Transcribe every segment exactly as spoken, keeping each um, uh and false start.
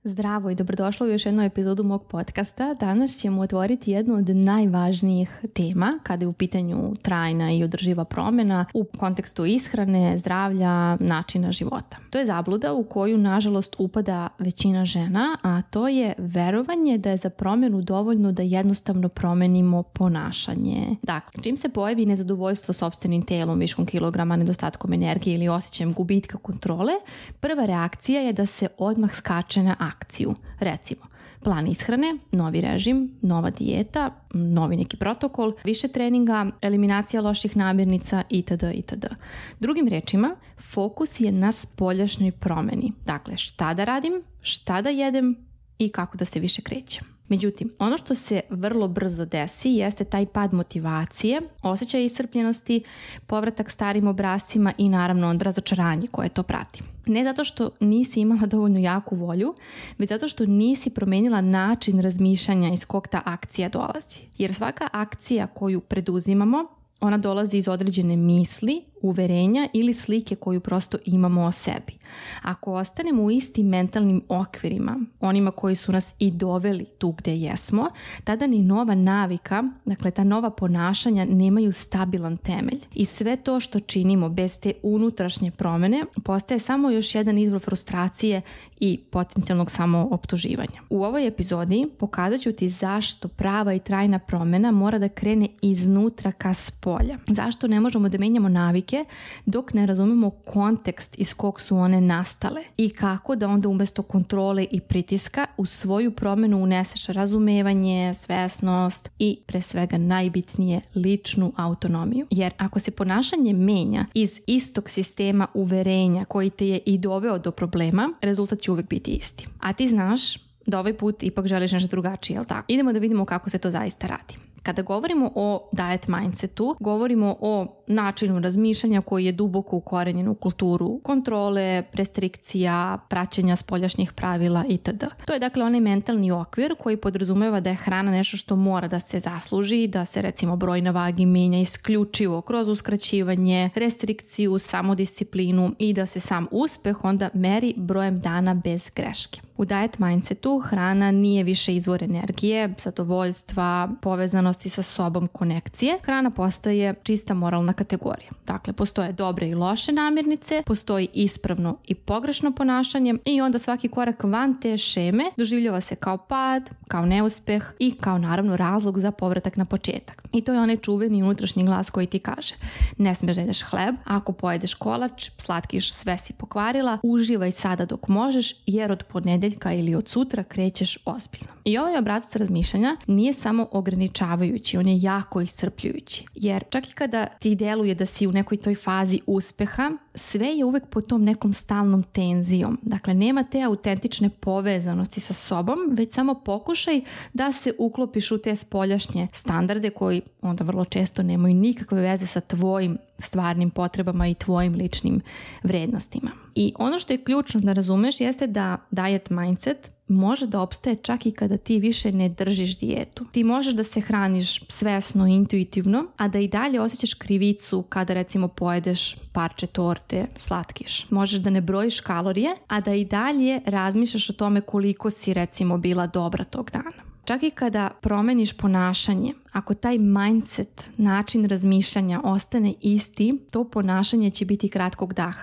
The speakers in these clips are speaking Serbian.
Zdravo i dobrodošlo u još jednu epizodu mog podcasta. Danas ćemo otvoriti jednu od najvažnijih tema kada je u pitanju trajna i održiva promjena u kontekstu ishrane, zdravlja, načina života. To je zabluda u koju nažalost upada većina žena, a to je verovanje da je za promjenu dovoljno da jednostavno promenimo ponašanje. Dakle, čim se pojavi nezadovoljstvo sopstvenim telom, viškom kilograma, nedostatkom energije ili osjećajem gubitka kontrole, prva reakcija je da se odmah skače na akciju. Recimo, plan ishrane, novi režim, nova dijeta, novi neki protokol, više treninga, eliminacija loših namirnica itd. itd. Drugim rečima, fokus je na spoljašnjoj promjeni. Dakle, šta da radim, šta da jedem i kako da se više krećem. Međutim, ono što se vrlo brzo desi jeste taj pad motivacije, osjećaj iscrpljenosti, povratak starim obrascima i naravno razočaranje koje to prati. Ne zato što nisi imala dovoljno jaku volju, već zato što nisi promijenila način razmišljanja iz kog ta akcija dolazi. Jer svaka akcija koju preduzimamo, ona dolazi iz određene misli, uverenja ili slike koju prosto imamo o sebi. Ako ostanemo u istim mentalnim okvirima, onima koji su nas i doveli tu gdje jesmo, tada ni nova navika, dakle ta nova ponašanja nemaju stabilan temelj. I sve to što činimo bez te unutrašnje promjene postaje samo još jedan izvor frustracije i potencijalnog samooptuživanja. U ovoj epizodi pokazat ću ti zašto prava i trajna promjena mora da krene iznutra ka spolja. Zašto ne možemo da menjamo navike dok ne razumemo kontekst iz kog su one nastale i kako da onda umjesto kontrole i pritiska u svoju promjenu uneseš razumevanje, svesnost i pre svega najbitnije ličnu autonomiju. Jer ako se ponašanje menja iz istog sistema uverenja koji te je i doveo do problema, rezultat će uvijek biti isti. A ti znaš da ovaj put ipak želiš nešto drugačije, jel tako? Idemo da vidimo kako se to zaista radi. Kada govorimo o diet mindsetu, govorimo o načinu razmišljanja koji je duboko ukorenjen u kulturu kontrole, restrikcija, praćenja spoljašnjih pravila itd. To je dakle onaj mentalni okvir koji podrazumeva da je hrana nešto što mora da se zasluži, da se recimo broj na vagi menja isključivo kroz uskraćivanje, restrikciju, samodisciplinu i da se sam uspeh onda meri brojem dana bez greške. U diet mindsetu hrana nije više izvor energije, zadovoljstva, povezanosti sa sobom, konekcije. Hrana postaje čista moralna kategorija. Dakle, postoje dobre i loše namirnice, postoji ispravno i pogrešno ponašanje i onda svaki korak van te šeme doživljava se kao pad, kao neuspeh i kao naravno razlog za povratak na početak. I to je onaj čuveni unutrašnji glas koji ti kaže: ne smiješ da jedeš hleb, ako pojedeš kolač, slatkiš, sve si pokvarila, uživaj sada dok možeš jer od ponedjeljka ili od sutra krećeš ozbiljno. I ovaj obrazac razmišljanja nije samo ograničavajući, on je jako iscrpljujući. Jer čak i kada ti deluje da si u nekoj toj fazi uspeha, sve je uvek pod tom nekom stalnom tenzijom. Dakle, nema te autentične povezanosti sa sobom, već samo pokušaj da se uklopiš u te spoljašnje standarde koji onda vrlo često nemaju nikakve veze sa tvojim stvarnim potrebama i tvojim ličnim vrednostima. I ono što je ključno da razumeš jeste da diet mindset može da opstaje čak i kada ti više ne držiš dijetu. Ti možeš da se hraniš svesno, intuitivno, a da i dalje osjećaš krivicu kada recimo pojedeš parče torte, slatkiš. Možeš da ne brojiš kalorije, a da i dalje razmišljaš o tome koliko si recimo bila dobra tog dana. Čak i kada promeniš ponašanje, ako taj mindset, način razmišljanja ostane isti, to ponašanje će biti kratkog daha.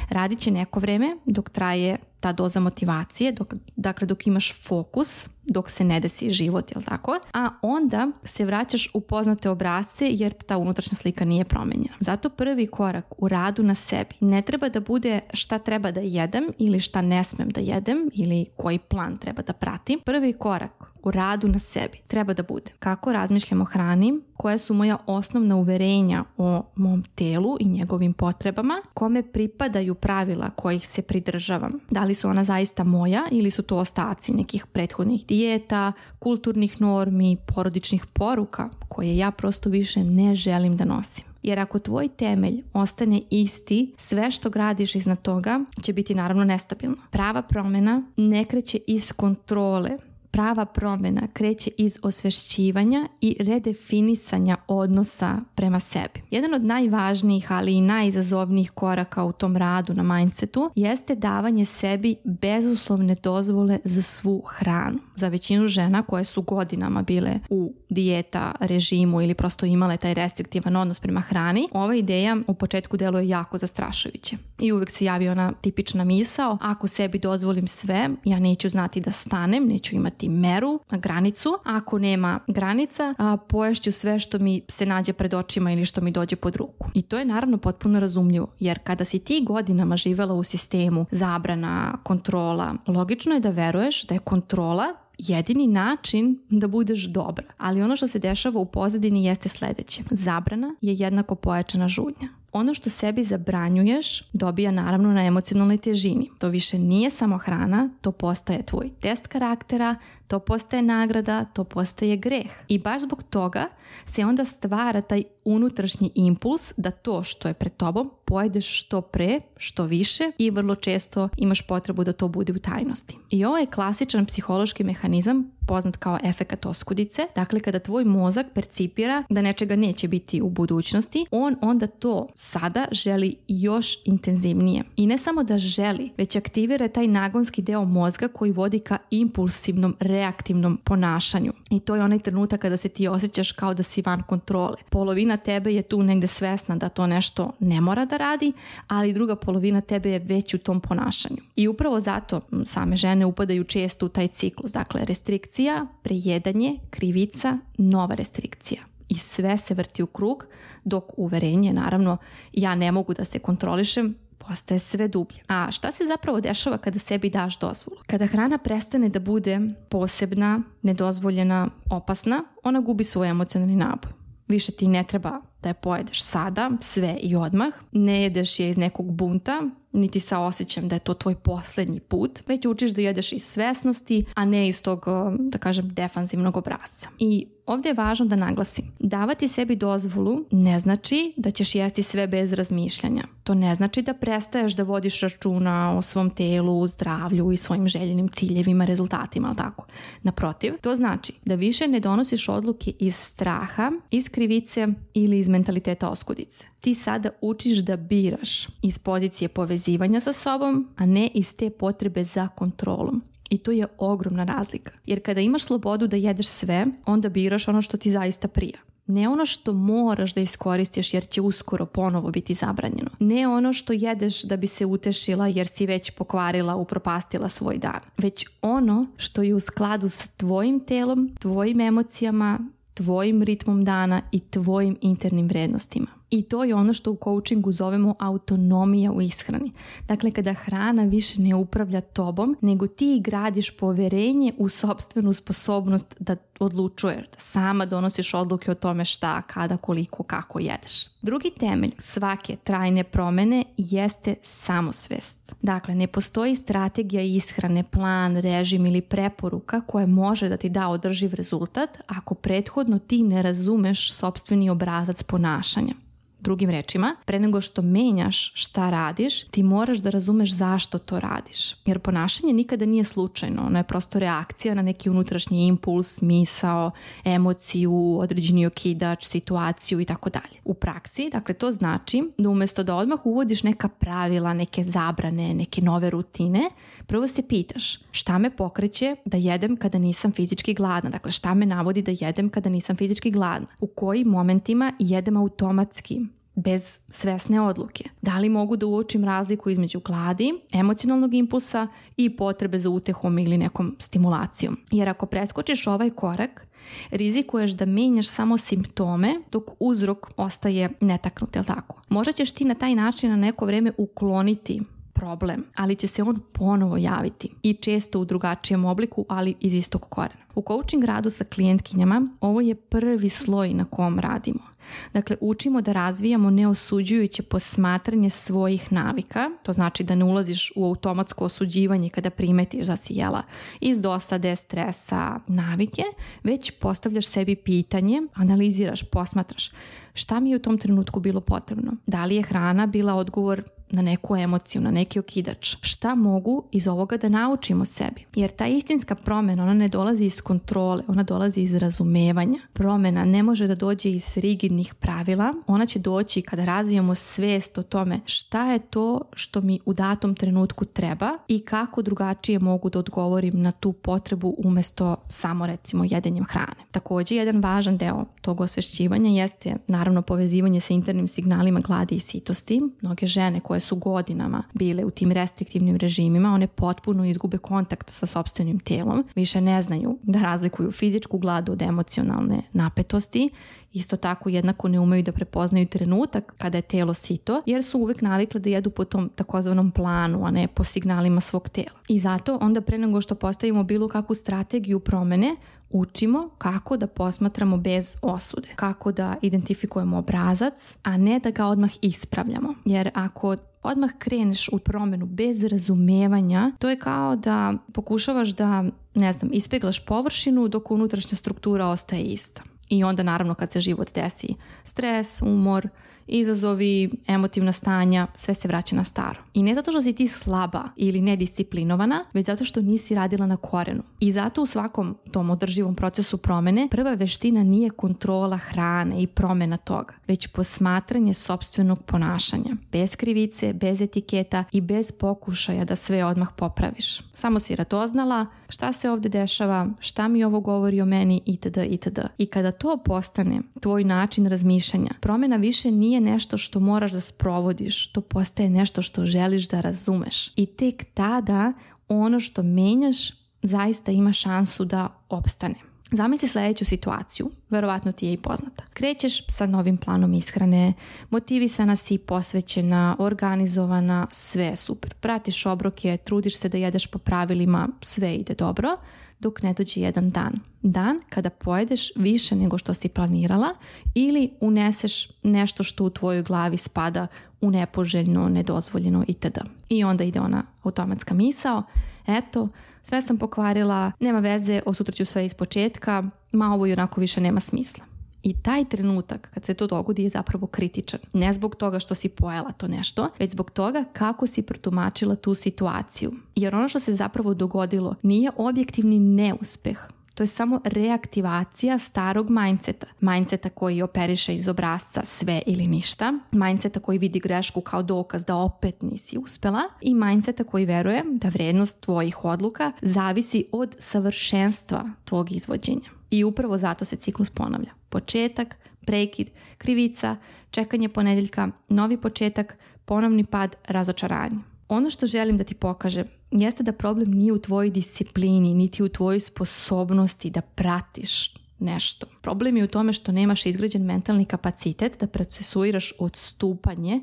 Radit će neko vreme dok traje ta doza motivacije, dok, dakle dok imaš fokus, dok se ne desi život, jel tako? A onda se vraćaš u poznate obrasce jer ta unutrašnja slika nije promenjena. Zato prvi korak u radu na sebi ne treba da bude šta treba da jedem ili šta ne smem da jedem ili koji plan treba da pratim. Prvi korak u radu na sebi treba da bude kako razmišljam o hrani, koje su moja osnovna uverenja o mom telu i njegovim potrebama, kome pripadaju pravila kojih se pridržavam. Da li su ona zaista moja ili su to ostaci nekih prethodnih dijeta, kulturnih normi, porodičnih poruka koje ja prosto više ne želim da nosim. Jer ako tvoj temelj ostane isti, sve što gradiš iznad toga će biti naravno nestabilno. Prava promjena ne kreće iz kontrole prava promjena kreće iz osvešćivanja i redefinisanja odnosa prema sebi. Jedan od najvažnijih, ali i najizazovnijih koraka u tom radu na mindsetu jeste davanje sebi bezuslovne dozvole za svu hranu. Za većinu žena koje su godinama bile u dijeta, režimu ili prosto imale taj restriktivan odnos prema hrani, ova ideja u početku deluje jako zastrašujuće. I uvijek se javi ona tipična misao, ako sebi dozvolim sve, ja neću znati da stanem, neću imati meru, granicu. Ako nema granica, a, poješću sve što mi se nađe pred očima ili što mi dođe pod ruku. I to je naravno potpuno razumljivo, jer kada si ti godinama živela u sistemu zabrana, kontrola, logično je da veruješ da je kontrola jedini način da budeš dobra. Ali ono što se dešava u pozadini jeste sljedeće. Zabrana je jednako pojačana žudnja. Ono što sebi zabranjuješ dobija naravno na emocionalnoj težini. To više nije samo hrana, to postaje tvoj test karaktera, to postaje nagrada, to postaje greh. I baš zbog toga se onda stvara taj unutrašnji impuls da to što je pred tobom pojedeš što pre, što više i vrlo često imaš potrebu da to bude u tajnosti. I ovo je klasičan psihološki mehanizam poznat kao efekat oskudice. Dakle, kada tvoj mozak percipira da nečega neće biti u budućnosti, on onda to sada želi još intenzivnije. I ne samo da želi, već aktivira taj nagonski deo mozga koji vodi ka impulsivnom, reaktivnom ponašanju. I to je onaj trenutak kada se ti osjećaš kao da si van kontrole. Polovina tebe je tu negde svesna da to nešto ne mora da radi, ali druga polovina tebe je već u tom ponašanju. I upravo zato same žene upadaju često u taj ciklus. Dakle, restrikcija, prejedanje, krivica, nova restrikcija. I sve se vrti u krug, dok uverenje, naravno, ja ne mogu da se kontrolišem, postaje sve dublje. A šta se zapravo dešava kada sebi daš dozvolu? Kada hrana prestane da bude posebna, nedozvoljena, opasna, ona gubi svoj emocionalni naboj. Više ti ne treba da je pojedeš sada, sve i odmah. Ne jedeš je iz nekog bunta, niti sa osjećajem da je to tvoj posljednji put, već učiš da jedeš iz svesnosti, a ne iz tog, da kažem, defanzivnog obrasca. I ovdje je važno da naglasim, davati sebi dozvolu ne znači da ćeš jesti sve bez razmišljanja. To ne znači da prestaješ da vodiš računa o svom telu, zdravlju i svojim željenim ciljevima, rezultatima, ali tako. Naprotiv, to znači da više ne donosiš odluke iz straha, iz krivice ili iz mentaliteta oskudice. Ti sada učiš da biraš iz pozicije povezivanja sa sobom, a ne iz te potrebe za kontrolom. I to je ogromna razlika. Jer kada imaš slobodu da jedeš sve, onda biraš ono što ti zaista prija. Ne ono što moraš da iskoristiš jer će uskoro ponovo biti zabranjeno. Ne ono što jedeš da bi se utešila jer si već pokvarila, upropastila svoj dan. Već ono što je u skladu sa tvojim telom, tvojim emocijama, tvojim ritmom dana i tvojim internim vrednostima. I to je ono što u coachingu zovemo autonomija u ishrani. Dakle, kada hrana više ne upravlja tobom, nego ti gradiš poverenje u sopstvenu sposobnost da odlučuješ, da sama donosiš odluke o tome šta, kada, koliko, kako jedeš. Drugi temelj svake trajne promjene jeste samosvest. Dakle, ne postoji strategija ishrane, plan, režim ili preporuka koja može da ti da održiv rezultat ako prethodno ti ne razumeš sopstveni obrazac ponašanja. Drugim rečima, pre nego što menjaš šta radiš, ti moraš da razumeš zašto to radiš. Jer ponašanje nikada nije slučajno, ono je prosto reakcija na neki unutrašnji impuls, misao, emociju, određeni okidač, situaciju i tako dalje. U praksi, dakle, to znači da umjesto da odmah uvodiš neka pravila, neke zabrane, neke nove rutine, prvo se pitaš šta me pokreće da jedem kada nisam fizički gladna. Dakle, šta me navodi da jedem kada nisam fizički gladna? U kojim momentima jedem automatski, bez svesne odluke? Da li mogu da uočim razliku između gladi, emocionalnog impulsa i potrebe za utehom ili nekom stimulacijom? Jer ako preskočiš ovaj korak, rizikuješ da menjaš samo simptome dok uzrok ostaje netaknut, jel tako? Možda ćeš ti na taj način na neko vreme ukloniti problem, ali će se on ponovo javiti i često u drugačijem obliku, ali iz istog korena. U coaching radu sa klijentkinjama ovo je prvi sloj na kom radimo. Dakle, učimo da razvijamo neosuđujuće posmatranje svojih navika, to znači da ne ulaziš u automatsko osuđivanje kada primetiš da si jela iz dosade, stresa, navike, već postavljaš sebi pitanje, analiziraš, posmatraš šta mi je u tom trenutku bilo potrebno. Da li je hrana bila odgovor na neku emociju, na neki okidač. Šta mogu iz ovoga da naučimo sebi? Jer ta istinska promjena, ona ne dolazi iz kontrole, ona dolazi iz razumevanja. Promjena ne može da dođe iz rigidnih pravila, ona će doći kada razvijamo svijest o tome šta je to što mi u datom trenutku treba i kako drugačije mogu da odgovorim na tu potrebu umjesto samo recimo jedenjem hrane. Također jedan važan deo tog osvešćivanja jeste naravno povezivanje sa internim signalima gladi i sitosti. Mnoge žene koje su godinama bile u tim restriktivnim režimima, one potpuno izgube kontakt sa sopstvenim tijelom, više ne znaju da razlikuju fizičku gladu od emocionalne napetosti. Isto tako jednako ne umeju da prepoznaju trenutak kada je telo sito, jer su uvek navikle da jedu po tom takozvanom planu, a ne po signalima svog tela. I zato onda pre nego što postavimo bilo kakvu strategiju promene, učimo kako da posmatramo bez osude, kako da identifikujemo obrazac, a ne da ga odmah ispravljamo. Jer ako odmah kreneš u promjenu bez razumevanja, to je kao da pokušavaš da, ne znam, ispeglaš površinu dok unutrašnja struktura ostaje ista. I onda naravno kad se život desi stres, umor, izazovi, emotivna stanja, sve se vraća na staro. I ne zato što si ti slaba ili nedisciplinovana, već zato što nisi radila na korenu. I zato u svakom tom održivom procesu promjene prva veština nije kontrola hrane i promjena toga, već posmatranje sopstvenog ponašanja. Bez krivice, bez etiketa i bez pokušaja da sve odmah popraviš. Samo si radoznala šta se ovdje dešava, šta mi ovo govori o meni itd. itd. I kada to postane tvoj način razmišljanja, promjena više nije nešto što moraš da sprovodiš, to postaje nešto što želiš da razumeš. I tek tada ono što menjaš zaista ima šansu da opstane. Zamisli sljedeću situaciju, verovatno ti je i poznata. Krećeš sa novim planom ishrane, motivisana si, posvećena, organizovana, sve je super. Pratiš obroke, trudiš se da jedeš po pravilima, sve ide dobro, dok ne dođe jedan dan. Dan kada pojedeš više nego što si planirala ili uneseš nešto što u tvojoj glavi spada u nepoželjno, nedozvoljeno itd. I onda ide ona automatska misao, eto, sve sam pokvarila, nema veze, osutraću sve iz početka, ma ovo i onako više nema smisla. I taj trenutak kad se to dogodi je zapravo kritičan. Ne zbog toga što si pojela to nešto, već zbog toga kako si protumačila tu situaciju. Jer ono što se zapravo dogodilo nije objektivni neuspeh. To je samo reaktivacija starog mindseta. Mindseta koji operiše iz obrasca sve ili ništa. Mindseta koji vidi grešku kao dokaz da opet nisi uspela. I mindseta koji veruje da vrednost tvojih odluka zavisi od savršenstva tvog izvođenja. I upravo zato se ciklus ponavlja. Početak, prekid, krivica, čekanje ponedjeljka, novi početak, ponovni pad, razočaranje. Ono što želim da ti pokažem jeste da problem nije u tvojoj disciplini, niti u tvojoj sposobnosti da pratiš nešto. Problem je u tome što nemaš izgrađen mentalni kapacitet da procesuiraš odstupanje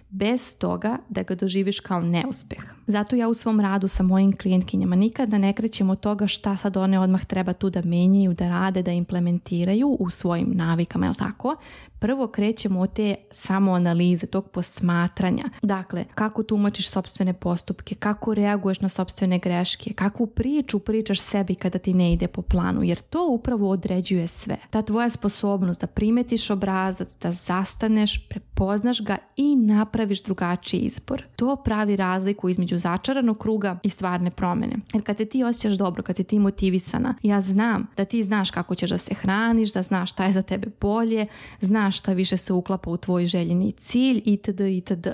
bez toga da ga doživiš kao neuspeh. Zato ja u svom radu sa mojim klijentkinjama nikada ne krećem od toga šta sad one odmah treba tu da menjaju, da rade, da implementiraju u svojim navikama, jel tako? Prvo krećemo od te samoanalize, tog posmatranja. Dakle, kako tumačiš sopstvene postupke, kako reaguješ na sopstvene greške, kakvu priču pričaš sebi kada ti ne ide po planu, jer to upravo određuje sve. Ta tvoja sposobnost da primetiš obrazac, da zastaneš, prepoznaš ga i napraviš drugačiji izbor. To pravi razliku između začaranog kruga i stvarne promjene. Jer kad se ti osjećaš dobro, kad si ti motivisana, ja znam da ti znaš kako ćeš da se hraniš, da znaš šta je za tebe bolje, znaš šta više se uklapa u tvoj željeni cilj itd. itd.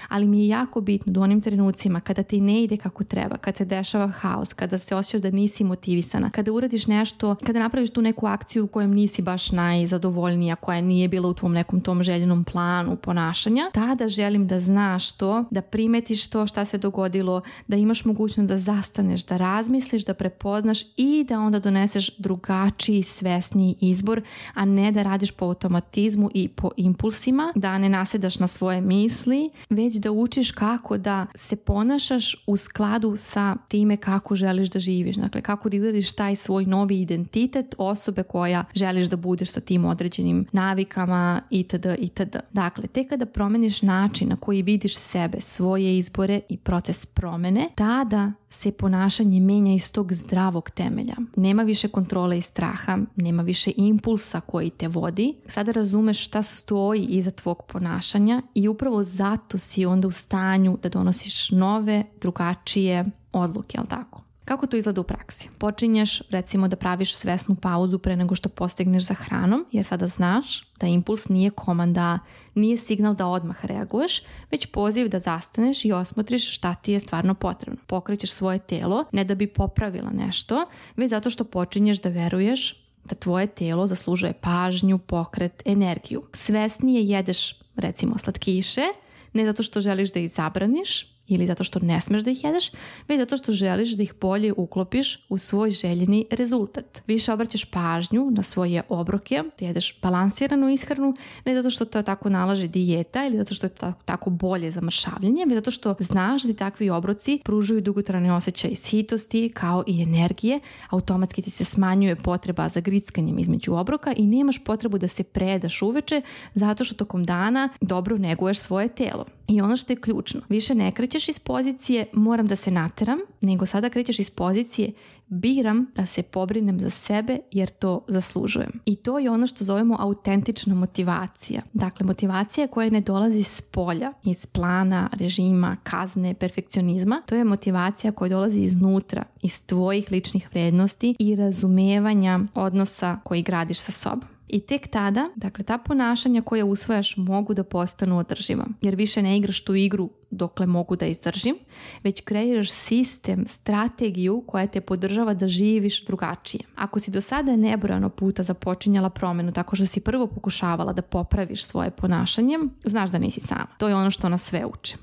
Ali mi je jako bitno da u onim trenucima kada ti ne ide kako treba, kad se dešava haos, kada se osjećaš da nisi motivisana, kada uradiš nešto, kada napraviš tu neku akciju u kojem nisi baš najzadovoljnija, koja nije bila u tvom nekom tom željenom planu ponašanja, tada želim da znaš to, da primetiš to šta se dogodilo, da imaš mogućnost da zastaneš, da razmisliš, da prepoznaš i da onda doneseš drugačiji, svesniji izbor, a ne da radiš po automatizmu i po impulsima, da ne nasedaš na svoje misli, već da učiš kako da se ponašaš u skladu sa time kako želiš da živiš. Dakle, kako da izgradiš taj svoj novi identitet osobe koja želiš da budeš sa tim određenim navikama itd. itd. Dakle, tek kada promeniš način na koji vidiš sebe, svoje izbore i proces promene, tada se ponašanje menja iz tog zdravog temelja. Nema više kontrole i straha, nema više impulsa koji te vodi. Sada razumeš šta stoji iza tvog ponašanja i upravo zato si onda u stanju da donosiš nove, drugačije odluke, jel tako? Kako to izgleda u praksi? Počinješ recimo da praviš svesnu pauzu pre nego što postigneš za hranom, jer sada znaš da impuls nije komanda, nije signal da odmah reaguješ, već poziv da zastaneš i osmotriš šta ti je stvarno potrebno. Pokrećeš svoje telo ne da bi popravila nešto, već zato što počinješ da veruješ da tvoje telo zaslužuje pažnju, pokret, energiju. Svesnije jedeš recimo slatkiše, ne zato što želiš da ih zabraniš ili zato što ne smeš da ih jedeš, već zato što želiš da ih bolje uklopiš u svoj željeni rezultat. Više obraćaš pažnju na svoje obroke, da jedeš balansiranu ishranu, ne zato što to tako nalaže dijeta ili zato što je tako, tako bolje za mršavljenje, već zato što znaš da ti takvi obroci pružuju dugotrajne osjećaje sitosti kao i energije, automatski ti se smanjuje potreba za grickanjem između obroka i nemaš potrebu da se predaš uveče zato što tokom dana dobro neguješ svoje telo. I ono što je ključno, više ne krećeš iz pozicije moram da se nateram, nego sada krećeš iz pozicije biram da se pobrinem za sebe jer to zaslužujem. I to je ono što zovemo autentična motivacija. Dakle, motivacija koja ne dolazi iz polja, iz plana, režima, kazne, perfekcionizma. To je motivacija koja dolazi iznutra, iz tvojih ličnih vrednosti i razumevanja odnosa koji gradiš sa sobom. I tek tada, dakle, ta ponašanja koja usvajaš mogu da postanu održiva. Jer više ne igraš tu igru dokle mogu da izdržim, već kreiraš sistem, strategiju koja te podržava da živiš drugačije. Ako si do sada nebrojano puta započinjala promenu tako što si prvo pokušavala da popraviš svoje ponašanje, znaš da nisi sama. To je ono što nas sve uče.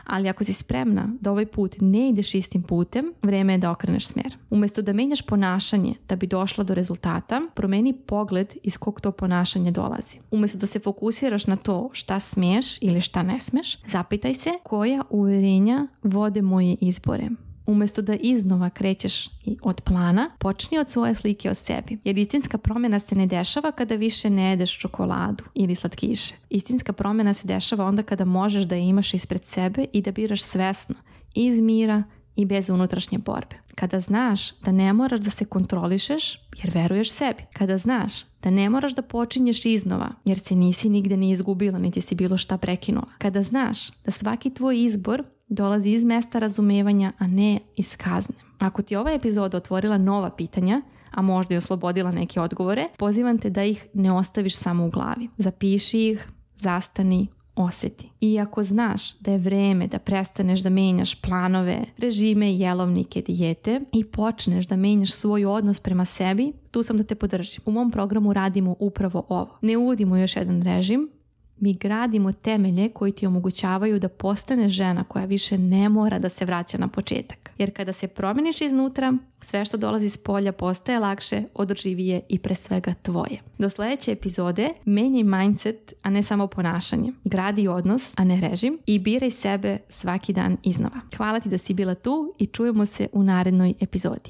Ali ako si spremna da ovaj put ne ideš istim putem, vreme je da okreneš smjer. Umjesto da menjaš ponašanje da bi došla do rezultata, promeni pogled iz kog to ponašanje dolazi. Umjesto da se fokusiraš na to šta smiješ ili šta ne smiješ, zapitaj se koja uverenja vode moje izbore. Umjesto da iznova krećeš od plana, počni od svoje slike o sebi. Jer istinska promjena se ne dešava kada više ne jedeš čokoladu ili slatkiše. Istinska promjena se dešava onda kada možeš da je imaš ispred sebe i da biraš svesno, iz mira i bez unutrašnje borbe. Kada znaš da ne moraš da se kontrolišeš jer veruješ sebi. Kada znaš da ne moraš da počinješ iznova jer se nisi nigde ni izgubila niti si bilo šta prekinula. Kada znaš da svaki tvoj izbor dolazi iz mesta razumevanja, a ne iz kazne. Ako ti ova epizoda otvorila nova pitanja, a možda i oslobodila neke odgovore, pozivam te da ih ne ostaviš samo u glavi. Zapiši ih, zastani, osjeti. I ako znaš da je vreme da prestaneš da menjaš planove, režime, jelovnike, dijete i počneš da menjaš svoj odnos prema sebi, tu sam da te podržim. U mom programu radimo upravo ovo. Ne uvodimo još jedan režim, mi gradimo temelje koji ti omogućavaju da postaneš žena koja više ne mora da se vraća na početak. Jer kada se promeniš iznutra, sve što dolazi iz polja postaje lakše, održivije i pre svega tvoje. Do sljedeće epizode menjaj mindset, a ne samo ponašanje. Gradi odnos, a ne režim i biraj sebe svaki dan iznova. Hvala ti da si bila tu i čujemo se u narednoj epizodi.